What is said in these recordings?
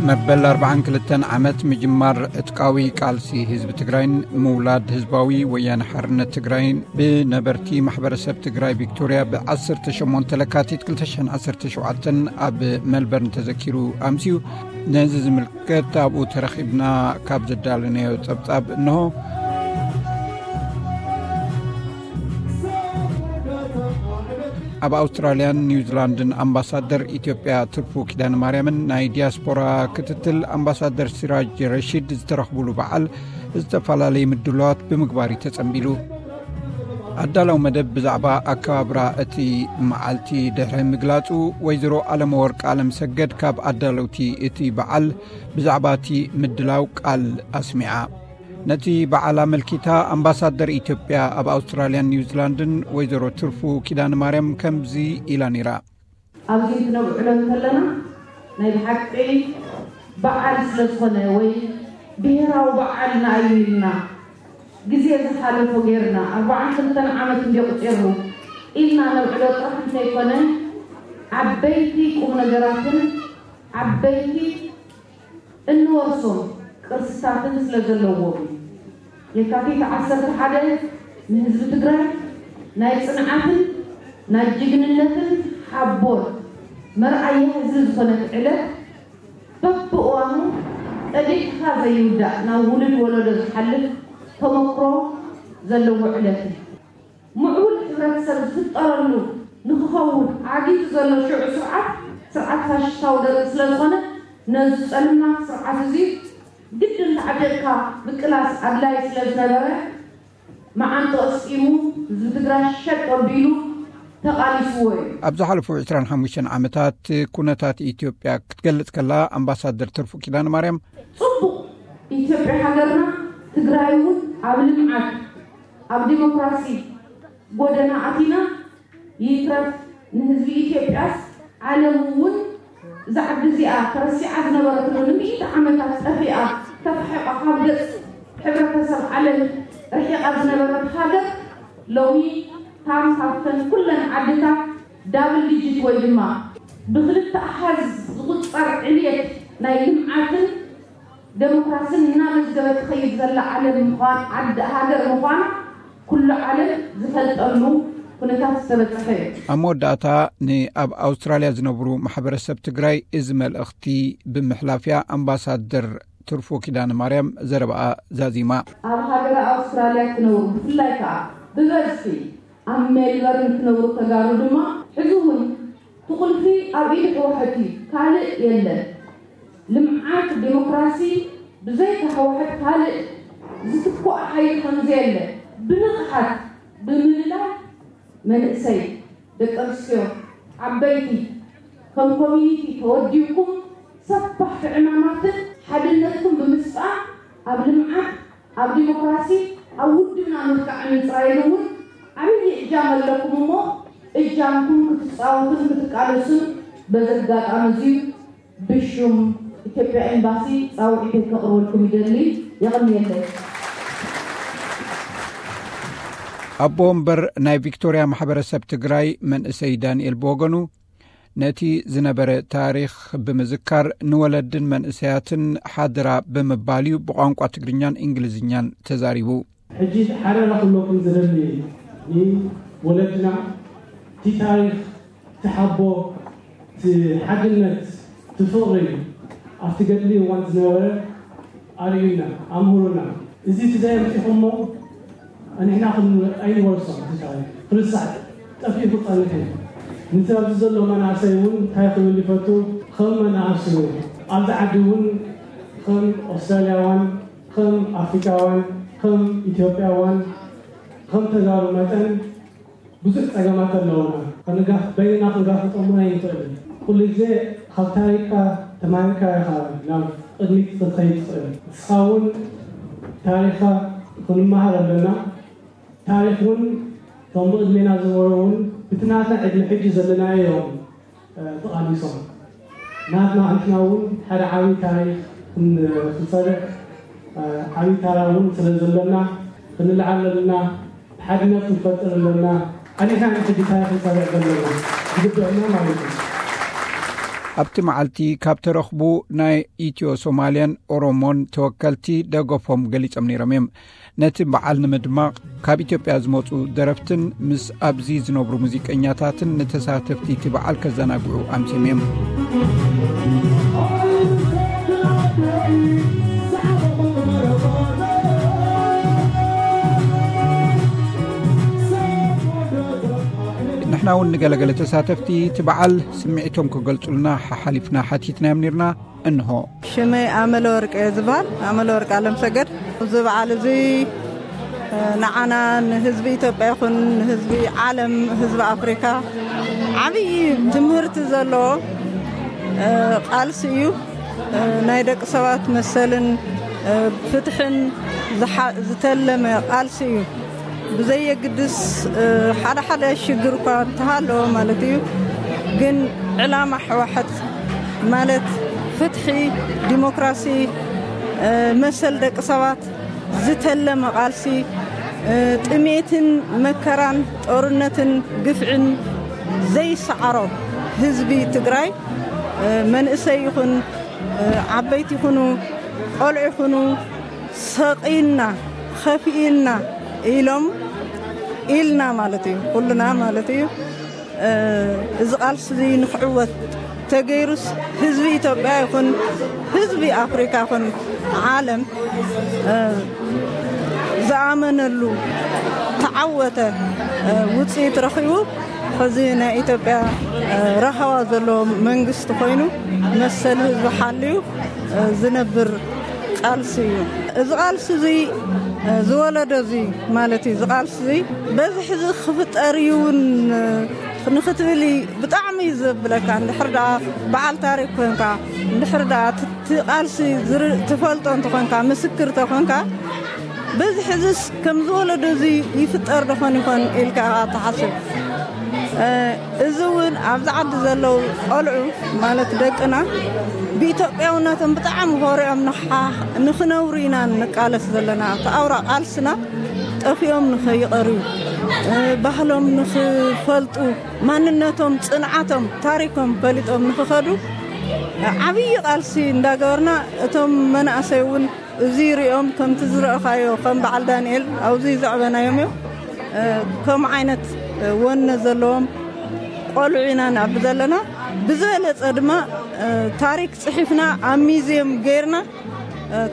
መበል ኣርባዓን ክልተን ዓመት ምጅማር ዕጥቃዊ ቃልሲ ህዝቢ ትግራይን ምውላድ ህዝባዊ ወያነ ሓርነት ትግራይን ብነበርቲ ማሕበረሰብ ትግራይ ቪክቶርያ ብዓሰርተ ሸሞንተ ለካቲት ክልተ ሽሕን ዓሰርተ ሸውዓተን ኣብ ሜልበርን ተዘኪሩ ኣምስዩ። ነዚ ዝምልከት ኣብኡ ተረኺብና ካብ ዘዳለናዮ ጸብጻብ እንሆ። ኣብ ኣውስትራልያን ኒውዚላንድን ኣምባሳደር ኢትዮጵያ ትርፉ ኪዳነ ማርያምን ናይ ዲያስፖራ ክትትል ኣምባሳደር ሲራጅ ረሺድ ዝተረኽቡሉ በዓል ዝተፈላለዩ ምድላዋት ብምግባር እዩ ተጸንቢሉ። ኣዳላዊ መደብ ብዛዕባ ኣከባብራ እቲ መዓልቲ ድሕሪ ምግላጹ፣ ወይዘሮ ኣለመወርቅ ኣለምሰገድ ካብ ኣዳለውቲ እቲ በዓል ብዛዕባ እቲ ምድላው ቃል ኣስሚዓ። ነቲ በዓል ኣመልኪታ ኣምባሳደር ኢትዮጵያ ኣብ ኣውስትራልያን ኒውዚላንድን ወይዘሮ ትርፉ ኪዳነ ማርያም ከምዚ ኢላ ነይራ። ኣብዚ ክንብዕሎ እንከለና ናይ ብሓቂ በዓል ስለ ዝኾነ ወይ ብሄራዊ በዓልና እዩ ኢልና ግዜ ዝሓለፎ ጌርና ኣርባዓን ክልተን ዓመት እንዲ ቁፂሩ ኢልና ነብዕሎ ጥራሕ እንተይኮነ ዓበይቲ ቁም ነገራትን ዓበይቲ እንወርሶም ቅርስታትን ስለ ዘለዎም እዩ። የካቲት ዓሰርተ ሓደ ንህዝቢ ትግራይ ናይ ጽንዓትን ናይ ጅግንነትን ሓቦን መርኣያ ህዝቢ ዝኾነት ዕለት በብእዋኑ ቀዲሕካ ዘይውዳእ ናብ ውሉድ ወለዶ ዝሓልፍ ተመክሮ ዘለዎ ዕለት እዩ። ምዕቡል ሕብረተሰብ ዝፍጠረሉ ንክኸውን ዓጊቱ ዘሎ ሽዑ ስርዓት፣ ስርዓት ፋሽስታዊ ደርጊ ስለ ዝኾነ፣ ነዚ ጸልማት ስርዓት እዚ ግድን ተዓጢቕካ ምቅላስ ኣድላዪ ስለ ዝነበረ፣ መዓንጥኦ ኣስጢሙ ህዝቢ ትግራይ ሸጥ ኣቢሉ ተቓሊስዎ እዩ። ኣብ ዝሓለፉ ዕስራን ሓሙሽተን ዓመታት ኩነታት ኢትዮጵያ ክትገልጽ ከላ፣ ኣምባሳደር ትርፉ ኪዳነ ማርያም፣ ጽቡቕ፣ ኢትዮጵያ ሃገርና፣ ትግራይ እውን ኣብ ልምዓት ኣብ ዲሞክራሲ ጎደና ኣቲና፣ ይትረፍ ንህዝቢ ኢትዮጵያስ ዓለም እውን እዛ ዓዲ እዚኣ ተረሲዓ ዝነበረትሉ ንምእቲ ዓመታት ጠፊኣ፣ ተፋሒቓ ካብ ገጽ ሕብረተሰብ ዓለም ርሒቓ ዝነበረት ሃገር ሎሚ ታም ካብተን ኩለን ዓድታት ዳብል ዲጂት ወይ ድማ ብክልተ ኣሃዝ ዝቑጸር ዕብየት ናይ ልምዓትን ዴሞክራስን እናመዝገበት ትኸይድ ዘላ ዓለም ምዃን፣ ዓዲ ሃገር ምዃና ኩሉ ዓለም ዝፈልጠሉ ኩነታት ዝተበጸሐ እዩ። ኣብ መወዳእታ ንኣብ ኣውስትራልያ ዝነብሩ ማሕበረሰብ ትግራይ እዚ መልእኽቲ ብምሕላፍያ ኣምባሳደር ትርፉ ኪዳነ ማርያም ዘረባኣ ዛዚማ። ኣብ ሃገረ ኣውስትራልያ ትነብሩ ብፍላይ ከኣ ብበዝሒ ኣብ ሜልበርን ትነብሩ ተጋሩ ድማ ሕዚ እውን እቲ ቁልፊ ኣብ ኢድ ህወሓት እዩ፣ ካልእ የለን። ልምዓት ዴሞክራሲ ብዘይካ ህወሓት ካልእ ዝትክኦ ሓይሊ ከምዘየለ ብንቕሓት ብምልላይ መንእሰይ፣ ደቂ ኣንስትዮ፣ ዓበይቲ ከም ኮሚኒቲ ተወዲብኩም ሰፋሕቲ ዕማማትን ሓድነትኩም ብምስጣም ኣብ ልምዓት ኣብ ዲሞክራሲ ኣብ ውድብና ምብቃዕ ምፅራይን እውን ዓብዪ እጃም ኣለኩም እሞ እጃምኩም ክትፃወቱን ክትቃለሱን በዚ ኣጋጣሚ እዚ ብሹም ኢትዮጵያ ኤምባሲ ፃውዒተይ ከቕርበልኩም ይደሊ። የቐንየለይ። ኣቦ ወንበር ናይ ቪክቶርያ ማሕበረሰብ ትግራይ መንእሰይ ዳንኤል ብወገኑ ነቲ ዝነበረ ታሪኽ ብምዝካር ንወለድን መንእሰያትን ሓደራ ብምባል እዩ ብቋንቋ ትግርኛን እንግሊዝኛን ተዛሪቡ። ሕጂ ሓደራ ክብለኩም ዝደሊ ንወለድና እቲ ታሪኽ፣ እቲ ሓቦ፣ እቲ ሓድነት፣ እቲ ፍቕሪ ኣብቲ ገድሊ እዋን ዝነበረ ኣርእዩና፣ ኣምህሩና። እዚ እቲ ዘየምፂኹሞ ንሕና ክን-፣ ኣይንወርሶን። እቲ ታሪኽ ክርሳዕ ጠፊኡ ክፀንሕ እዩ። ነቲ ኣብዚ ዘሎ መናእሰይ እውን እንታይ ክብል ይፈቱ፣ ከም መናእሰዩ ኣብዚ ዓዲ እውን ከም ኣውስትራልያውያን፣ ከም ኣፍሪካውያን፣ ከም ኢትዮጵያውያን፣ ከም ተጋሩ መጠን ብዙሕ ጸገማት ኣለውና። ክንጋፍ-፣ በይንና ክንጋፍጦም እውን ኣይንኽእልን። ኩሉ ግዜ ካብ ታሪኽካ ተማሂርካ ኢኻ ናብ ቅድሚት ክትኸይድ ትኽእል። ንስኻ እውን ታሪኽካ ክንመሃር ኣለና። ታሪኽ እውን እቶም ብቕድሜና ዝነበሩ እውን ብቲ ናትና ዕድመ ሕጂ ዘለናዮ እዮም፣ እ፣ ተቓሊሶም። ናትና ንሕና እውን ሓደ ዓብዪ ታሪኽ ክን-፣ ክንሰርሕ፣ እ፣ ዓብዪ ታራ እውን ስለ ዘሎና ክንልዓል ኣለና። ብሓድነት ክንፈጥር ኣለና። ኣሊኻ ንሕጂ ታሪኽ ክንሰርሕ ዘለና ዝግበአና ማለት እዩ። ኣብቲ መዓልቲ ካብ ተረኽቡ ናይ ኢትዮ ሶማልያን ኦሮሞን ተወከልቲ ደገፎም ገሊጾም ነይሮም እዮም። ነቲ በዓል ንምድማቕ ካብ ኢትዮጵያ ዝመጹ ደረፍትን ምስ ኣብዚ ዝነብሩ ሙዚቀኛታትን ንተሳተፍቲ እቲ በዓል ከዘናግዑ ኣምሲም እዮም። ንሕና እውን ንገለገለ ተሳተፍቲ እቲ በዓል ስምዒቶም ክገልጹልና ሓሓሊፍና ሓቲትናዮም ነርና። እንሆ። ሽመይ ኣመለ ወርቅ እየ ዝበሃል፣ ኣመለ ወርቅ ኣለም ሰገድ። እዚ በዓል እዚ ንዓና፣ ንህዝቢ ኢትዮጵያ ይኹን ንህዝቢ ዓለም፣ ህዝቢ ኣፍሪካ ዓብዪ ትምህርቲ ዘለዎ ቃልሲ እዩ። ናይ ደቂ ሰባት መሰልን ፍትሕን ዝተለመ ቃልሲ እዩ። ብዘየግድስ ሓደ ሓደ ሽግር እኳ እንተሃለዎ ማለት እዩ፣ ግን ዕላማ ሕዋሕት ማለት ፍትሒ፣ ዲሞክራሲ፣ መሰል ደቂ ሰባት ዝተለመ ቃልሲ፣ ጥሜትን መከራን ጦርነትን ግፍዕን ዘይሰዓሮ ህዝቢ ትግራይ፣ መንእሰይ ይኹን ዓበይቲ ይኹኑ፣ ቆልዑ ይኹኑ፣ ሰቒልና፣ ኸፊእና ኢሎም፣ ኢልና ማለት እዩ፣ ኩልና ማለት እዩ። እዚ ቃልሲ እዚ ንክዕወት ተገይሩስ፣ ህዝቢ ኢትዮጵያ ይኹን ህዝቢ ኣፍሪካ ይኹን ዓለም ዝኣመነሉ ተዓወተ፣ ውፅኢት ረኺቡ፣ ሕዚ ናይ ኢትዮጵያ ረሃዋ ዘለዎ መንግስቲ ኮይኑ፣ መሰል ህዝቢ ሓልዩ ዝነብር ቃልሲ እዩ። እዚ ቃልሲ እዚ ዝወለዶ እዚ ማለት እዩ። እዚ ቃልሲ እዚ በዚ ሕዚ ክፍጠር እዩ እውን ንክትብል ብጣዕሚ እዩ ዘብለካ። እንድሕር ደኣ በዓል ታሪክ ኮንካ፣ እንድሕር ደኣ እቲ ቃልሲ ዝር-፣ ትፈልጦ እንተኾንካ፣ ምስክር ተኾንካ፣ በዚ ሕዝስ ከም ዝወለዶ እዚ ይፍጠር ዶኾን ይኾን ኢልካ ኢኻ ትሓስብ። እዚ እውን ኣብዚ ዓዲ ዘለዉ ቆልዑ ማለት ደቅና ብኢትዮጵያውነቶም ብጣዕሚ ኮሪዖም ንሓ-፣ ንኽነብሩ ኢና ንቃለስ ዘለና። ኣብቲ ኣውራ ቃልስና ጠፊኦም ንኸይቐርዩ፣ ባህሎም ንኽፈልጡ፣ ማንነቶም፣ ጽንዓቶም፣ ታሪኮም ፈሊጦም ንኽኸዱ ዓብዪ ቃልሲ እንዳገበርና፣ እቶም መናእሰይ እውን እዚ ሪኦም ከምቲ ዝረእኻዮ ከም በዓል ዳንኤል ኣብዚ ዘዕበናዮም እዮም። ከም ዓይነት ወነ ዘለዎም ቆልዑ ኢና ንዕቢ ዘለና። ብዝበለጸ ድማ ታሪክ ጽሒፍና ኣብ ሚዝየም ገይርና፣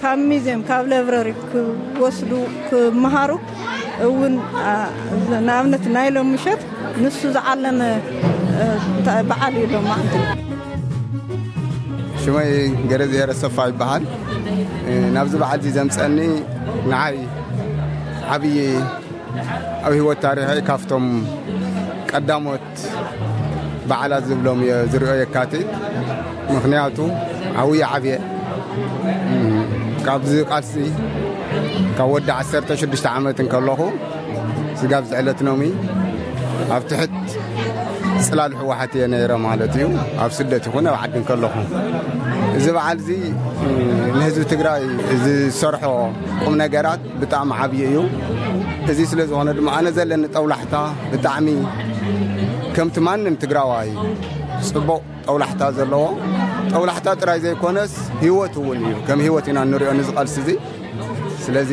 ካብ ሚዝየም፣ ካብ ላይብረሪ ክወስዱ፣ ክመሃሩ እውን፣ ንኣብነት ናይ ሎም ምሸት ንሱ ዝዓለመ በዓል እዩ ሎም መዓልቲ። ሽመይ ገረዝሄር ኣሰፋ ይበሃል። ናብዚ በዓል እዚ ዘምፀኒ ንዓይ ዓብዪ ኣብ ህይወት ታሪኸይ ካብቶም ቀዳሞት በዓላት ዝብሎም እየ ዝሪኦ የካቲት። ምኽንያቱ ዓብዪ ዓብየ ካብዚ ቃልሲ ካብ ወዲ ዓሰርተ ሽዱሽተ ዓመት እንከለኹ ስጋብ ዝዕለት ኖሚ ኣብ ትሕት ፅላል ህወሓት እየ ነይረ ማለት እዩ። ኣብ ስደት ይኹን ኣብ ዓዲ እንከለኹ እዚ በዓል እዚ ንህዝቢ ትግራይ ዝሰርሖ ቁም ነገራት ብጣዕሚ ዓብዪ እዩ። እዚ ስለ ዝኾነ ድማ ኣነ ዘለኒ ጠውላሕታ ብጣዕሚ ከምቲ ማንም ትግራዋይ ፅቡቕ ጠውላሕታ ዘለዎ፣ ጠውላሕታ ጥራይ ዘይኮነስ ህይወት እውን እዩ። ከም ህይወት ኢና እንሪኦ ንዚ ቃልሲ እዚ። ስለዚ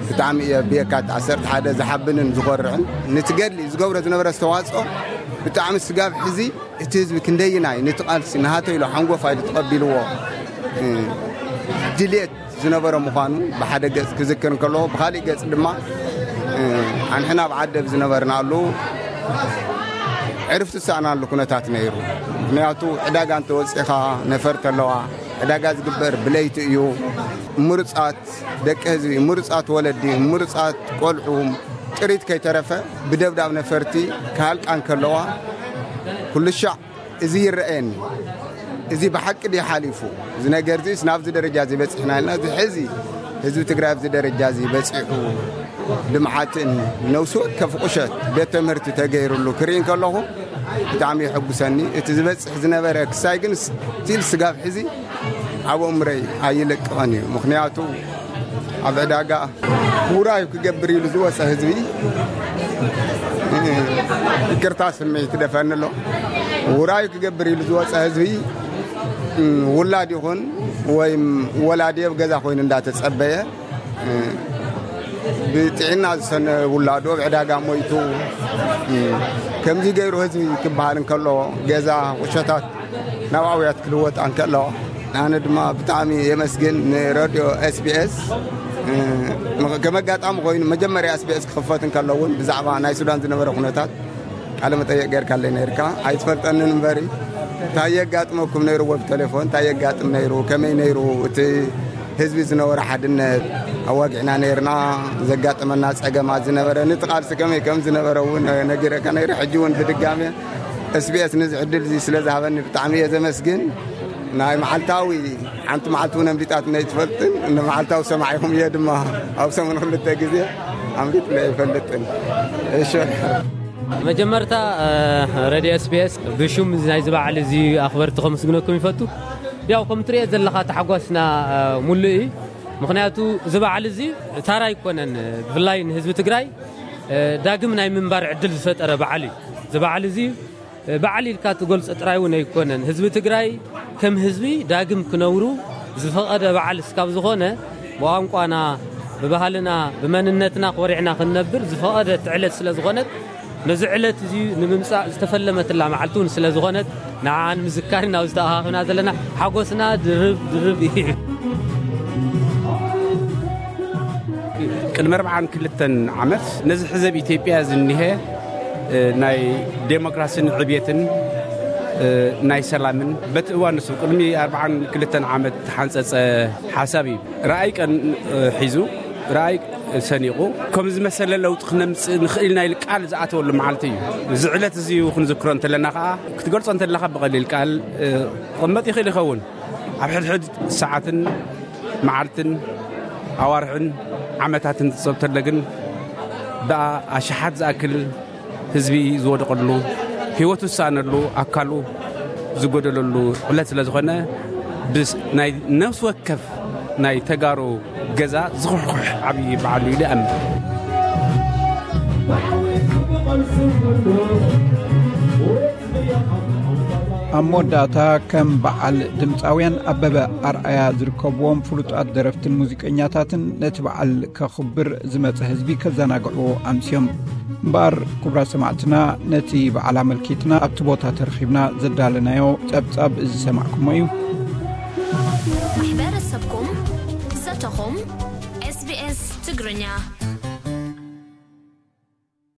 ብጣዕሚ እየ ብየካቲት ዓሰርተ ሓደ ዝሓብንን ዝኾርዕን፣ ነቲ ገድሊ ዝገብሮ ዝነበረ ኣስተዋፅኦ ብጣዕሚ ስጋብ ሕዚ እቲ ህዝቢ ክንደይናይ ነቲ ቃልሲ ናሃተይ ኢሉ ሓንጎፋ ኢሉ ተቐቢልዎ፣ እ፣ ድልየት ዝነበረ ምዃኑ ብሓደ ገጽ ክዝክር እንከሎ፣ ብኻሊእ ገጽ ድማ፣ እ፣ ኣንሕና ኣብ ዓደብ ዝነበርናሉ ዕርፍቲ ዝሰኣናሉ ኩነታት ነይሩ። ምኽንያቱ ዕዳጋ እንተወጺኻ ነፈርቲ ኣለዋ። ዕዳጋ ዝግበር ብለይቲ እዩ። ምሩጻት ደቂ ህዝቢ፣ ምሩጻት ወለዲ፣ ምሩጻት ቆልዑ ጥሪት ከይተረፈ ብደብዳብ ነፈርቲ ክሃልቃ እንከለዋ ኩሉ ሻዕ እዚ ይረኣየኒ። እዚ ብሓቂ ድዩ ሓሊፉ? እዚ ነገር እዚስ ናብዚ ደረጃ እዚ በጺሕና ኢልና፣ እዚ ሕዚ ህዝቢ ትግራይ ኣብዚ ደረጃ እዚ በጺሑ፣ ልምዓትን ነፍሲ ወከፍ ቁሸት ቤት ትምህርቲ ተገይሩሉ ክርኢ እንከለኹ ብጣዕሚ የሐጉሰኒ። እቲ ዝበጽሕ ዝነበረ ክሳይ ግን ስቲል ስጋብ ሕዚ ኣብ ኣእምሮይ ኣይለቅቐን እዩ። ምኽንያቱ ኣብ ዕዳጋ ውራዩ ክገብር ኢሉ ዝወፀ ህዝቢ፣ ይቅርታ ስምዒት ደፈኒ ኣሎ። ውራዩ ክገብር ኢሉ ዝወፀ ህዝቢ ውላድ ይኹን ወይም ወላዲ ኣብ ገዛ ኮይኑ እንዳተጸበየ፣ ብጥዕና ዝሰነ ውላዱ ኣብ ዕዳጋ ሞይቱ፣ ከምዚ ገይሩ ህዝቢ ክበሃል እንከሎ፣ ገዛ ቁሸታት ናብ ኣውያት ክልወጥ እንከሎ፣ ኣነ ድማ ብጣዕሚ የመስግን ንረድዮ ኤስቢኤስ። ከም ኣጋጣሚ ኮይኑ መጀመርያ ኤስቢኤስ ክኽፈት እንከሎ እውን ብዛዕባ ናይ ሱዳን ዝነበረ ኩነታት ቃለ መጠየቅ ገይርካለይ ነይርካ። ኣይትፈልጠንን እምበሪ፣ እንታይ የጋጥመኩም ነይሩ? ወብ ቴሌፎን እንታይ የጋጥም ነይሩ? ከመይ ነይሩ እቲ ህዝቢ ዝነበረ ሓድነት? ኣዋጊዕና ነይርና። ዘጋጠመና ጸገማት ዝነበረ፣ ንትቃልሲ ከመይ ከም ዝነበረ እውን ነጊረካ ነይሩ። ሕጂ እውን ብድጋሜ ኤስቢኤስ ነዚ ዕድል እዚ ስለ ዝሃበኒ ብጣዕሚ እየ ዘመስግን። ናይ መዓልታዊ ሓንቲ መዓልቲ እውን ኣምሊጣትኒ ኣይትፈልጥን። ንመዓልታዊ ሰማዒኹም እየ ድማ ኣብ ሰሙን ክልተ ግዜ ኣምሊጥኒ ኣይፈልጥን። እሺ። መጀመርታ፣ እ፣ ረድዮ ኤስቢኤስ ብሹም ናይዚ በዓል እዚ ኣኽበርቲ ከመስግነኩም ይፈቱ። ያው ከም ትሪኦ ዘለኻ ተሓጓስና፣ እ፣ ሙሉእ እዩ። ምኽንያቱ እዚ በዓል እዚ ታራ ኣይኮነን፣ ብፍላይ ንህዝቢ ትግራይ፣ እ፣ ዳግም ናይ ምንባር ዕድል ዝፈጠረ በዓል እዩ። እዚ በዓል እዚ በዓል ኢልካ ትገልጾ ጥራይ እውን ኣይኮነን። ህዝቢ ትግራይ ከም ህዝቢ ዳግም ክነብሩ ዝፈቐደ በዓል እስካብ ዝኾነ፣ ብቋንቋና፣ ብባህልና፣ ብመንነትና ኮሪዕና ክንነብር ዝፈቐደት ዕለት ስለ ዝኾነት፣ ነዚ ዕለት እዚ ንምምጻእ ዝተፈለመትላ መዓልቲ እውን ስለ ዝኾነት፣ ንዓኣ ንምዝካር ኢና ኣብዚ ተኣኻኺብና ዘለና። ሓጎስና ድርብ ድርብ እዩ። ቅድሚ ኣርብዓን ክልተን ዓመት ነዚ ሕዚ ኣብ ኢትዮጵያ ዝኒሀ፣ እ፣ ናይ ዴሞክራሲን ዕብየትን፣ እ፣ ናይ ሰላምን በቲ እዋን ንሱ ቅድሚ ኣርብዓን ክልተን ዓመት ተሓንጸጸ ሓሳብ እዩ። ራእይ ቀን፣ እ፣ ሒዙ ራእይ ሰኒቑ ከም ዝመሰለ ለውጢ ክነምጽእ ንኽእል ኢና ኢሉ ቃል ዝኣተወሉ መዓልቲ እዩ። እዚ ዕለት እዚ ክንዝክሮ እንተለና ከኣ ክትገልጾ እንተለኻ ብቐሊል ቃል፣ እ፣ ክቕመጥ ይኽእል ይኸውን። ኣብ ሕድሕድ ሰዓትን መዓልትን ኣዋርሕን ዓመታትን ትጸብ ተለ ግን ደኣ ኣሽሓት ዝኣክል ህዝቢ ዝወደቐሉ፣ ህይወቱ ዝሰኣነሉ፣ ኣካሉ ዝጎደለሉ ዕለት ስለ ዝኾነ፣ ብስ-፣ ናይ ነፍሲ ወከፍ ናይ ተጋሩ ገዛ ዝኹሕኩሕ ዓብዪ በዓል እዩ ኢለ እኣምን። ኣብ መወዳእታ፣ ከም በዓል ድምፃውያን ኣበበ ኣርኣያ ዝርከብዎም ፍሉጣት ደረፍትን ሙዚቀኛታትን ነቲ በዓል ከኽብር ዝመጸ ህዝቢ ከዘናግዕዎ ኣምስዮም። እምበኣር፣ ክቡራት ሰማዕትና፣ ነቲ በዓል ኣመልኪትና ኣብቲ ቦታ ተረኺብና ዘዳለናዮ ጸብጻብ እዚ ሰማዕኩሞ እዩ። ማሕበረሰብኩም፣ ዘተኹም፣ ኤስቢኤስ ትግርኛ።